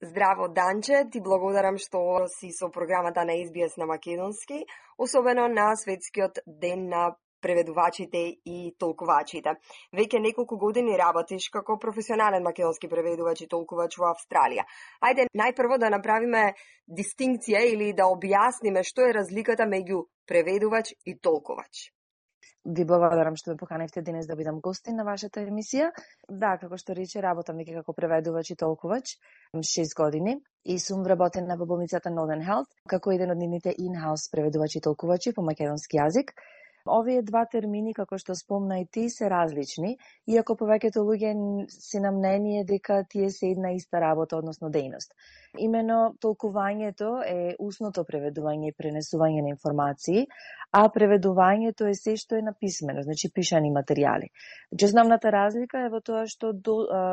Здраво, Данче, ти благодарам што си со програмата на SBS на македонски, особено на Светскиот ден на преведувачите и толкувачите. Веќе неколку години работиш како професионален македонски преведувач и толкувач во Австралија. Ајде најпрво да направиме дистинкција или да објасниме што е разликата меѓу преведувач и толкувач. Ви благодарам што ме поканевте денес да бидам гостин на вашата емисија. Да, како што рече, работам веќе како преведувач и толкувач 6 години и сум вработена во болницата Northern Health како еден од нивните in-house преведувачи и толкувачи по македонски јазик. Овие два термини, како што спомна и ти, се различни, иако повеќето луѓе се на мнение дека тие се една иста работа, односно дејност. Имено толкувањето е усното преведување и пренесување на информации, а преведувањето е се што е написмено, значи пишани материјали. Основната разлика е во тоа што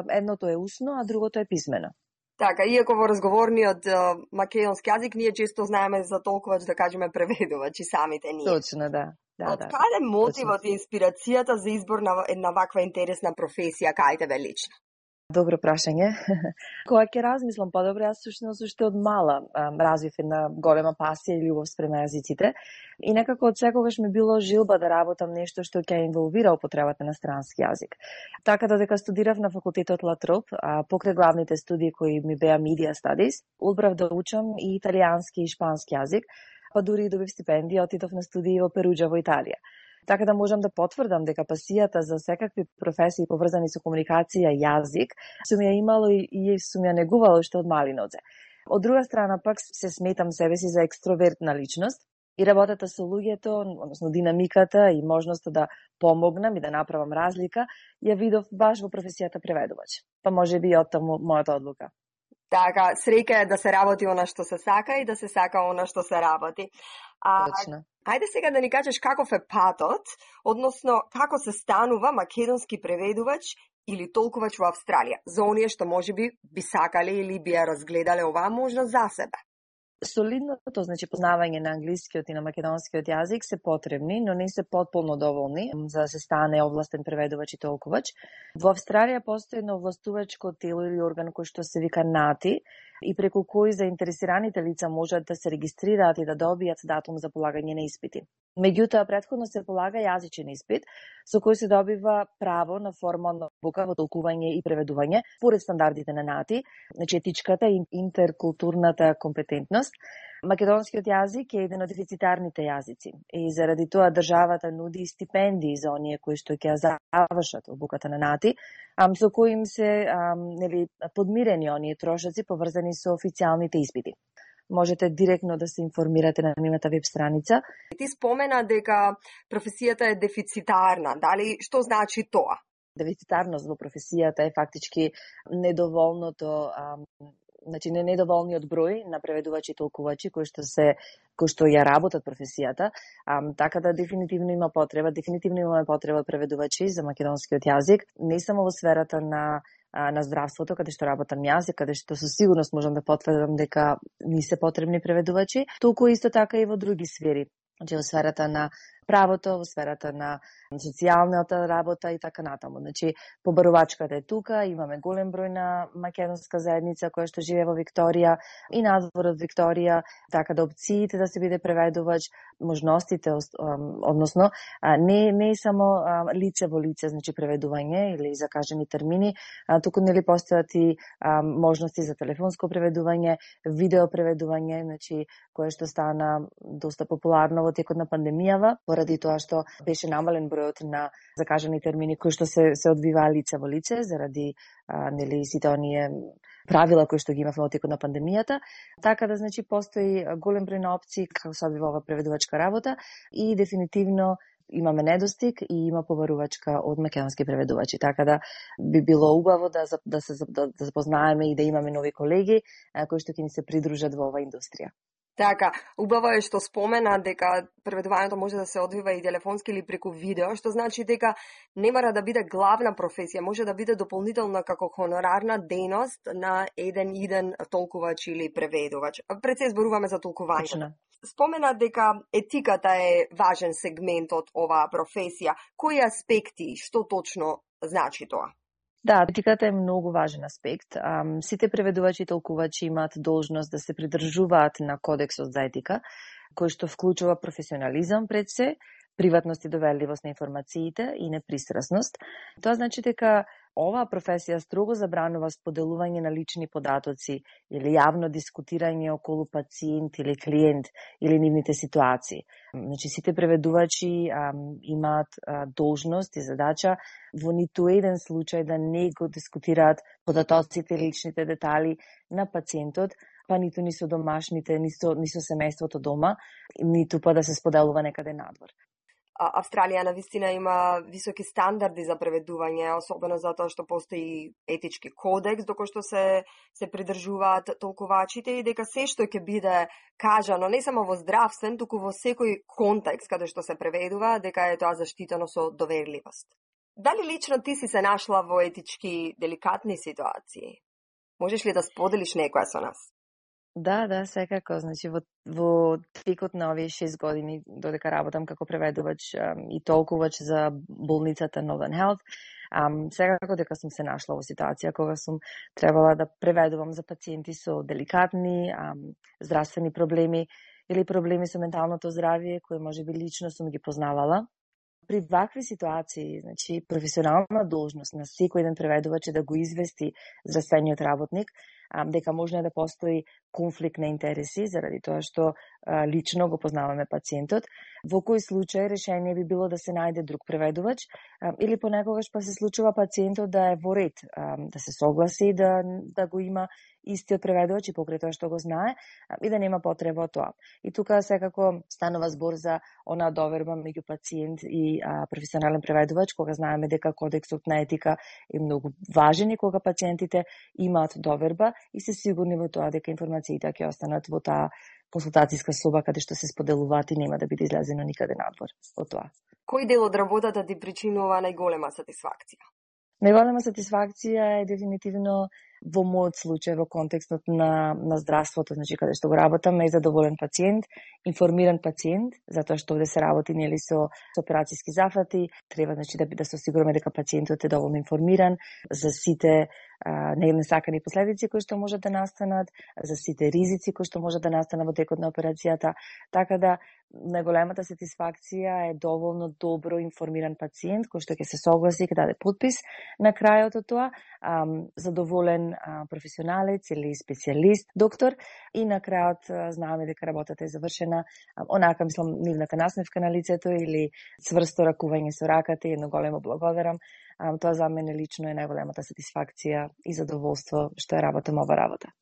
едното е усно, а другото е писмено. Така, иако во разговорниот македонски јазик ние често знаеме за толкувач да кажеме преведувач и самите ние. Точно, да. Од каде мотивот и инспирацијата за избор на една ваква интересна професија кај тебе лично? Добро прашање. Кога ќе размислам подобро, јас сушност уште од мала развив една голема пасија и љубов спрема јазиците и некако од секогаш ми било жилба да работам нешто што ќе инволвира употребата на странски јазик. Така додека студирав на факултетот Латроп, покрај главните студии кои ми беа Media Studies, одбрав да учам и италијански и шпански јазик, па дури и добив стипендија, отидов на студии во Перуџа во Италија. Така да можам да потврдам дека пасијата за секакви професии поврзани со комуникација и јазик сум ја имало и сум ја негувала уште од мали нозе. Од друга страна пак се сметам себе си за екстровертна личност и работата со луѓето, односно динамиката и можноста да помогнам и да направам разлика, ја видов баш во професијата преведувач. Па можеби и од таму мојата одлука. Така, среќа е да се работи она што се сака и да се сака она што се работи. Точно. Ајде сега да ни кажеш каков е патот, односно како се станува македонски преведувач или толкувач во Австралија, за оние што можеби би сакале или би ја разгледале оваа можност за себе. Солидното, значи познавање на англискиот и на македонскиот јазик се потребни, но не се потполно доволни за да се стане овластен преведувач и толкувач. Во Австралија постои едно овластувачко тело или орган кој што се вика NATI и преку кој заинтересираните лица можат да се регистрираат и да добијат датум за полагање на испити. Меѓутоа, претходно се полага јазичен испит, со кој се добива право на формална обука во толкување и преведување, според стандардите на NATI, значи етичката и интеркултурната компетентност. Македонскиот јазик е еден од дефицитарните јазици и заради тоа државата нуди стипендии за оние кои што ќе завршат обуката на NATI, со кои им се подмирени оние трошоци поврзани со официјалните испити. Можете директно да се информирате на нивната веб страница. Ти спомена дека професијата е дефицитарна. Дали што значи тоа? Дефицитарност во професијата е фактички недоволното, значи недоволниот број на преведувачи и толкувачи кои што ја работат професијата, така да дефинитивно имаме потреба од преведувачи за македонскиот јазик, не само во сферата на здравството, каде што работам јас и каде што со сигурност можам да потврдам дека ни се потребни преведувачи, толку исто така и во други сфери, значи во сферата на правото, во сферата на социјалната работа и така натаму. Значи, побарувачката е тука, имаме голем број на македонска заедница која што живее во Викторија и надвор од Викторија, така да опциите да се биде преведувач, можностите, односно, не е само лице во лице, значи преведување или закажани термини, туку нели постојат и можности за телефонско преведување, видео преведување, значи, кое што стана доста популарно во текот на пандемијава, поради тоа што беше намален бројот на закажани термини кои што се одвиваа лице во лице заради нели сите оние правила кои што ги имавме во текот на пандемијата. Така да значи постои голем број на опции како се одвива ова преведувачка работа и дефинитивно имаме недостиг и има побарувачка од македонски преведувачи. Така да би било убаво да се запознаеме и да имаме нови колеги кои што ќе ни се придружат во оваа индустрија. Така, убаво е што спомена дека преведувањето може да се одвива и телефонски или преку видео, што значи дека не мора да биде главна професија, може да биде дополнителна како хонорарна дејност на еден толкувач или преведувач. Пред се зборуваме за толкувањето. Спомена дека етиката е важен сегмент од оваа професија. Кои аспекти, што точно значи тоа? Да, етиката е многу важен аспект. Сите преведувачи и толкувачи имаат должност да се придржуваат на кодексот за етика, кој што вклучува професионализам пред се, приватност и доверливост на информациите и непристрасност. Тоа значи дека оваа професија строго забранува споделување на лични податоци или јавно дискутирање околу пациент или клиент или нивните ситуации. Значи, сите преведувачи имаат должност и задача во ниту еден случај да не го дискутираат податоците или личните детали на пациентот, па ниту ни со домашните, ни со семејството дома, ниту па да се споделува некаде надвор. Австралија навистина има високи стандарди за преведување, особено затоа што постои етички кодекс доколку што се придржуваат толкувачите и дека се што ќе биде кажано не само во здравствен, туку во секој контекст каде што се преведува, дека е тоа заштитено со доверливост. Дали лично ти си се нашла во етички деликатни ситуации? Можеш ли да споделиш некоја со нас? Да, секако. Значи, во текот на овие 6 години, додека работам како преведувач и толкувач за болницата Northern Health, секако дека сум се нашла во ситуација кога сум требала да преведувам за пациенти со деликатни здравствени проблеми или проблеми со менталното здравје, кои можеби лично сум ги познавала. При вакви ситуации, значи, професионална должност на секој еден преведувач е да го извести здравствениот работник дека може да постои конфликт на интереси заради тоа што лично го познаваме пациентот. Во кој случај решение би било да се најде друг преведувач или понекогаш па се случува пациентот да е во ред, да се согласи да го има истиот преведувач и покрај тоа што го знае и да нема потреба од тоа. И тука секако станува збор за онаа доверба меѓу пациент и професионален преведувач, кога знаеме дека кодексот на етика е многу важен и кога пациентите имаат доверба и се сигурни во тоа дека информациите ќе останат во таа консултацијска соба каде што се споделуваат и нема да биде излезено никаде надвор од тоа. Кој дел од работата ти причинува најголема сатисфакција? Најголема сатисфакција е дефинитивно во мојот случај во контекстот на здравството, значи каде што го работам, е задоволен пациент, информиран пациент, затоа што овде се работи нели со операцијски зафати, треба значи да се осигураме дека пациентот е доволно информиран за сите несакани последици кои што можат да настанат, за сите ризици кои што можат да настанат во текот на операцијата, така да најголемата сатисфакција е доволно добро информиран пациент кој што ќе се согласи и ќе даде подпис на крајот од тоа, задоволен професионалец или специјалист, доктор, и на крајот знаеме дека работата е завршена онака, мислам, нивната насмевка на лицето или цврсто ракување со раката и едно големо благодарам. Тоа за мене лично е најголемата сатисфакција и задоволство што работам ова работа.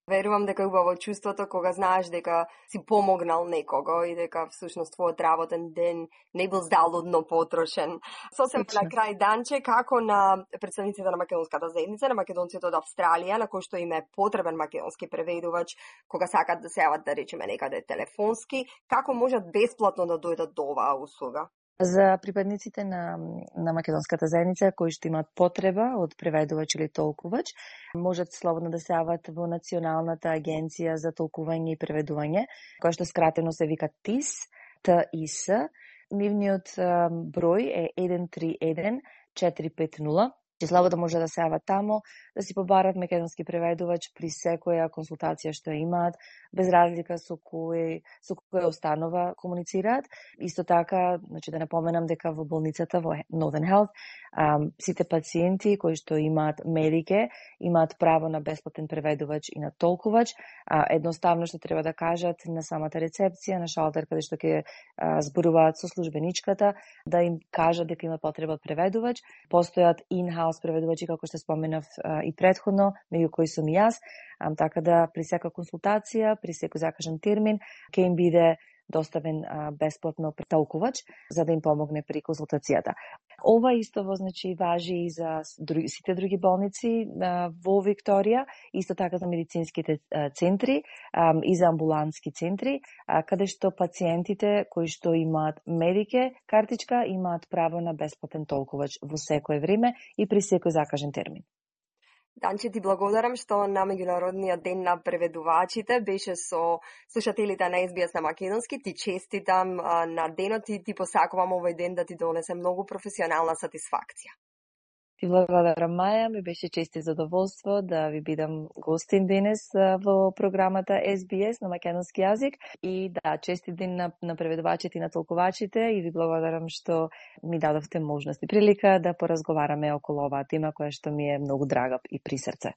Верувам дека е убаво чувството кога знаеш дека си помогнал некого и дека всушност твојот работен ден не бил залудно потрошен. Сосем на крај, Данче, како на представниците на македонската заедница, на македонците од Австралија, на кој што им е потребен македонски преведувач, кога сакат да се јават, да речеме, некаде телефонски, како можат бесплатно да дојдат до оваа услуга? За припадниците на македонската заедница кои што имаат потреба од преведувач или толкувач, можат слободно да се јават во Националната агенција за толкување и преведување, која што скратено се вика ТИС, ТИС. Нивниот број е 131 450. Слободно може да се јават тамо, да си побарат македонски преведувач при секоја консултација што имаат, без разлика со која установа комуницираат. Исто така, значи да напоменам дека во болницата во Northern Health сите пациенти кои што имаат медике имаат право на бесплатен преведувач и на толкувач. Едноставно што треба да кажат на самата рецепција, на шалтер каде што ќе зборуваат со службеничката, да им кажат дека има потреба од преведувач. Постојат in-house преведувачи, како што споменав и претходно, меѓу кои сум и јас, така да при секоја консултација, при секој закажан термин, ќе им биде доставен бесплатно толкувач за да им помогне при консултацијата. Ова исто значи важи и за сите други болници во Викторија, исто така за медицинските центри и за амбулантски центри, каде што пациентите кои што имаат медике картичка имаат право на бесплатен толкувач во секое време и при секој закажен термин. Данче, ти благодарам што на Меѓународниот ден на преведувачите беше со слушателите на SBS на македонски. Ти честитам на денот и ти посакувам овој ден да ти донесе многу професионална сатисфакција. Ти благодарам, Маја, ми беше чест и задоволство да ви бидам гостин денес во програмата SBS на македонски јазик и да, честит ден на преведувачите и на толкувачите и ви благодарам што ми дадовте можност и прилика да поразговараме околу оваа тема која што ми е многу драга и при срце.